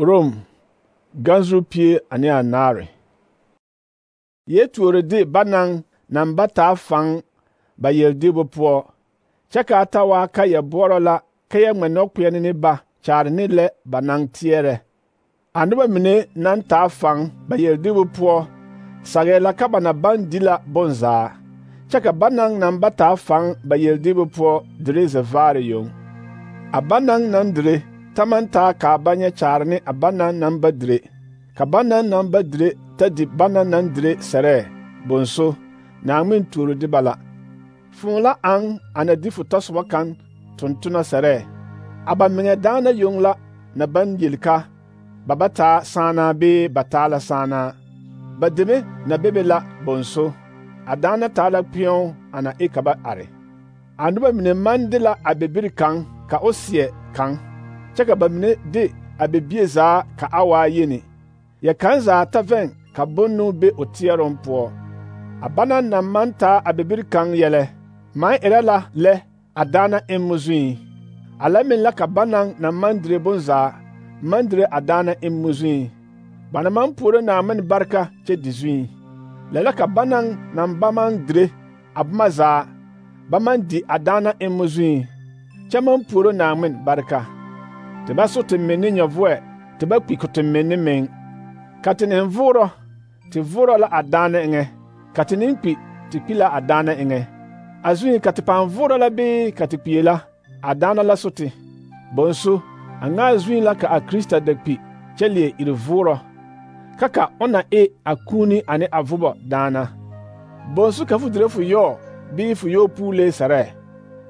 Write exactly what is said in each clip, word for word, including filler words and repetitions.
Rom ganzuru pie ane anaare. Yɛ tuore de ba naŋ naŋ ba taa faŋ ba yeldiibu poɔ, kyɛ kaa ta waa ka yɛ boɔrɔ la ka yɛ ŋmɛ nɔkpeɛne ne ba kyaare ne lɛ ba naŋ teɛrɛ. A noba mine naŋ taa faŋ ba yeldiibu poɔ sagɛɛ la ka ba na baŋ di la bonzaa, kyɛ ka ba naŋ naŋ ba taa faŋ ba yeldiibu poɔ dire zɛvaare yoŋ. A ba naŋ naŋ dire ta maŋ taa kaa ba nyɛ kyaare ne a ba naŋ naŋ ba dire, ka ba naŋ naŋ ba dire ta di ba naŋ naŋ dire sɛrɛɛ, bonso, Naaŋmen tuuro de ba la. Fõõ la aŋ a na di fo tɔsoba kaŋ tontona sɛrɛɛ. A ba meŋɛ daana yoŋ la na baŋ yeli ka ba ba taa sããnaa bee ba taa la sããnaa. Ba deme na bebe la, bonso, a daana taa la kpeɛo a na e ka ba are. A noba mine maŋ de la a bibiri kaŋ ka o seɛ kaŋ, kyɛ ka ba mine de a bibie zaa ka a waa yeni. Yɛ kaŋ zaa ta vɛŋ ka bonno be o teɛroŋ poɔ. A banaŋ naŋ maŋ taa a bibiri kaŋ yɛlɛ maŋ erɛ la lɛ a daana emmo zuiŋ. A lɛ meŋ la ka banaŋ naŋ maŋ dire bonzaa maŋ dire a daana emmo zuiŋ. Ba na maŋ puoro Naaŋmen bareka kyɛ di zuiŋ. Lɛ la ka banaŋ naŋ ba maŋ dire a boma zaa ba maŋ di a daana emmo zuiŋ, kyɛ maŋ puoro Naaŋmen bareka. Te ba so te menne nyɔvoɛ, te ba kpi ko te menne meŋ. Ka te neŋ voorɔ, te voorɔ la a daana eŋɛ, ka te neŋ kpi, te kpi la a daana eŋɛ. A zuiŋ ka te pãã voorɔ la bee ka te kpie la, a daana la so te. Bonso, a ŋa a zuiŋ la ka a Krista da kpi kyɛ leɛ iri voorɔ, ka ka o na e a kuuni ane a vobɔ daana. Bonso ka fo dire fo yɔɔ bii fo yɔɔ puulee sɛrɛɛ?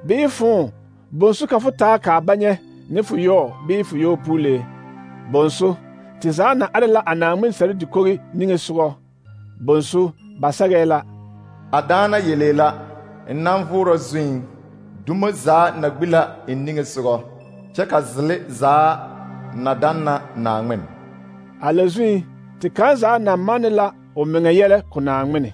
Bii fõõ, bonso ka fo taa kaa ba nyɛ ne fo yɔɔ bii fo yɔɔ puulee? Bonso, te zaa na are la a Naaŋmen sɛre dikogi niŋesogɔ. Bonso, ba sɛgɛɛ la: A daana yelee la, n naŋ voorɔ zuiŋ, dumo zaa na gbi la n niŋesogɔ, kyɛ ka zele zaa na danna Naaŋmen. A lɛ zuiŋ, te kaŋ zaa na manne la o meŋɛ yɛlɛ ko Naaŋmene.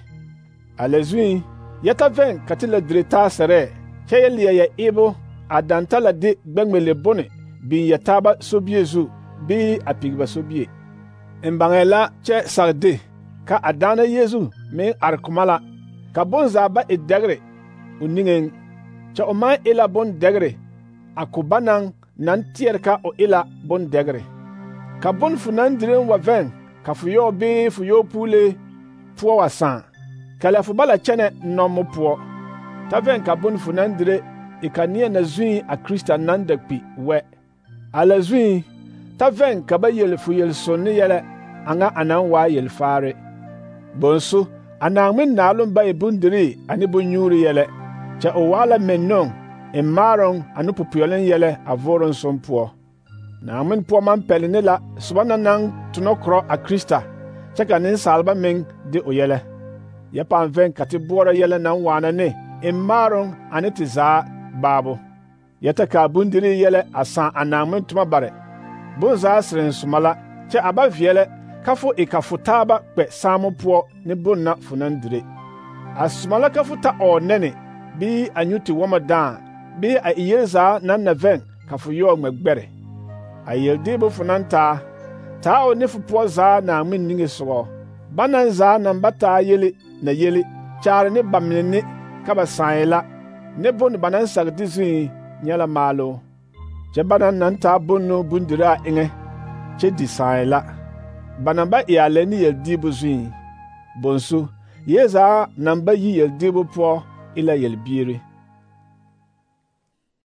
A lɛ zuiŋ, yɛ ta vɛŋ ka te la dire taa sɛrɛɛ, kyɛ yɛ leɛ yɛ eebo a daŋ ta la de gbɛŋmele bone biŋ yɛ taaba sobie zu bii a pigba sobie. N baŋɛɛ la kyɛ sag de ka a daana Yeezu meŋ are koma la, ka bonzaa ba e dɛgre o niŋeŋ, kyɛ o maŋ e la bondɛgre a ko ba naŋ naŋ teɛre ka o e la bondɛgre. Ka bon fo naŋ direŋ wa vɛŋ ka fo yɔɔ bee fo yɔɔ puulee poɔ wa sãã, ka lɛ fo ba la kyɛnɛ nɔmo poɔ. Ta vɛŋ ka bon fo naŋ dire e ka neɛ na zuiŋ a Krista naŋ da kpi wɛ. A lɛ zuiŋ, ta vɛŋ ka ba yel fo yel-sonne yɛlɛ a ŋa a naŋ waa yelfaare. Bonso, a Naaŋmen naaloŋ ba e bondirii ane bonnyuuri yɛlɛ, kyɛ o waa la mennɔŋ n maaroŋ ane popeɛloŋ yɛlɛ a vooroŋ som poɔ. Naaŋmen poɔ maŋ pɛle ne la soba na naŋ tonɔ korɔ a Krista, kyɛ ka nensaalba meŋ de o yɛlɛ. Yɛ pãã vɛŋ ka te boɔrɔ yɛlɛ naŋ waana ne n maaroŋ ane te zaa baabo. Yɛ ta kaa bondirii yɛlɛ a sãã a Naaŋmen toma bare. Bonzaa sereŋ soma la, kyɛ a ba veɛlɛ ka fo e ka fo taaba kpɛ saamo poɔ ne bonna fo naŋ dire. A soma la ka fo ta ɔɔ nɛne, bii a nyu te wɔmɔ dãã, bii a e yel zaa naŋ na vɛŋ ka fo yɔɔ ŋmɛ gbɛre. A yeldeebo fo naŋ taa, taa o ne fo poɔ zaa Naaŋmen niŋesogɔ. Banaŋ zaa naŋ ba taa yele na yele kyaare ne ba mine ne ka ba sãe la, ne bone ba naŋ sag de zuiŋ nyɛ la maaloo. Kyɛ banaŋ naŋ taa bonno bondiraa eŋɛ kyɛ di sãe la, ba naŋ ba e a lɛ ne yeldiibu zuiŋ. Bonso, yee zaa naŋ ba yi yeldiibu poɔ e la yelbiiri.